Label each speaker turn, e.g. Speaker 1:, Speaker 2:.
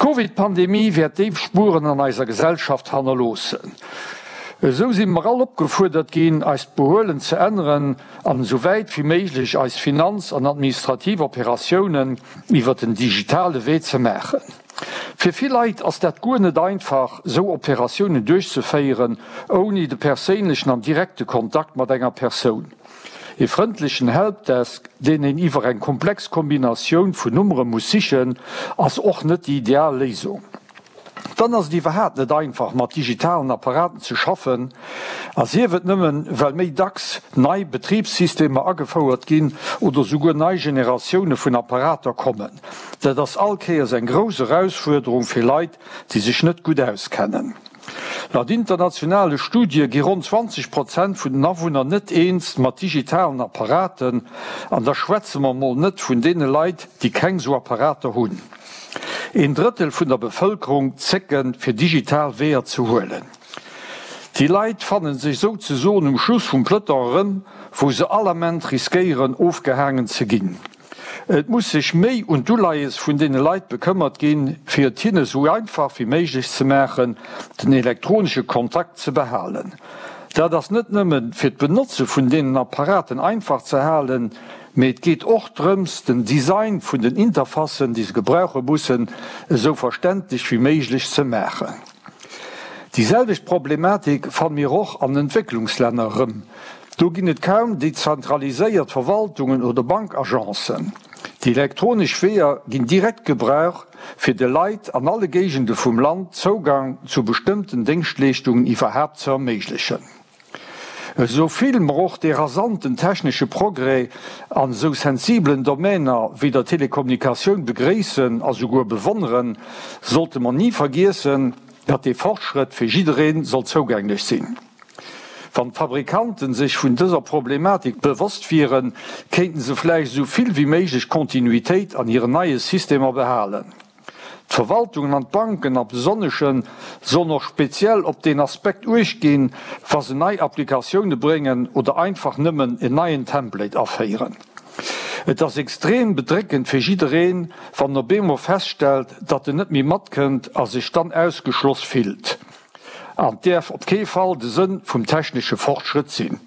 Speaker 1: D'Covid-Pandemie wäert déif Spueren an eiser Gesellschaft hannerloossen. Esou si mer all opgefuerdert ginn, eist Behuelen ze änneren an esou wäit wéi méiglech eis Finanz an administrativ Operatiounen iwwer den digitale Wee ze maachen. Fir vill Leit ass dat guer net einfach, esou Operatiounen duerchzeféieren, ouni de perséinlechen an direkte Kontakt mat enger Persoun. Ee frëndlechen Helpdesk, deen een iwwer eng komplex Kombinatioun vun Nummere muss sichen, ass och net déi ideal Léisung. Dann ass et iwwerhaapt net einfach mat digitalen Apparaten ze schaffen, a sief et nëmmen, well méi dacks nei Betribssystemer agefouert ginn oder souguer nei Generatioune vun Apparater kommen. Dat ass all Kéiers eng grouss Erausfuerderung fir Leit, déi sech net gutt auskennen. Laut internationale Studie gi ronn 20 Prozent vun den Awunner net eens mat digitalen Apparaten, an da schwätze mer mol net vun deene Leit, déi keng sou Apparater hunn. Een Drëttel vun der Bevëlkerung zécken, fir digital Weeër ze huelen. Déi Leit fanne sech souzesoen um Schluss vum Peloton erëm, wou se all Ament riskéieren, ofgehaangen ze ginn. Et muss sech méi un d'Uleies vun deene Leit bekëmmert ginn, fir et hinne sou einfach wéi méiglech ze maachen, den elektronesche Kontakt ze behalen. Dat ass net nëmme fir d'Benotze vun deenen Apparaten einfach ze halen, mee et geet och drëms, den Design vun den Interfacen, déi se gebrauche mussen, esou verständlech wéi méiglech ze maachen. Déi selwecht Problematik fanne mir och an Entwécklungslänner erëm. Do ginn et kaum dezentraliséiert Verwaltungen oder Bankagencen. Déi elektronesch Weeër ginn direkt gebraucht, fir de Leit an alle Géigende vum Land Zougang zu bestëmmten Déngschtleeschtungen iwwerhaapt ze erméiglechen. Esou vill mer och dee rasanten technesche Progrès an esou sensibelen Domäner wéi der Telekommunikatioun begréissen a souguer bewonneren, sollte mer ni vergiessen, datt dee Fortschrëtt fir jidderee soll zougänglech sinn. Wann d'Fabrikanten sech vun dëser Problematik bewosst wieren, kéinten se vläicht esou vill wéi méiglech Kontinuitéit an hiren neie Systemer behalen. D'Verwaltungen an d'Banken am Besonnesche sollen och speziell op deen Aspekt uecht ginn, wa se nei Applikatioune bréngen oder einfach nëmmen en neien Template aféieren. Et ass extrem bedréckend fir jiddereen, wann en op eemol feststellt, datt en net méi matkënnt a sech dann ausgeschloss fillt. An däerf op kee Fall de Sënn vum technesche Fortschrëtt sinn.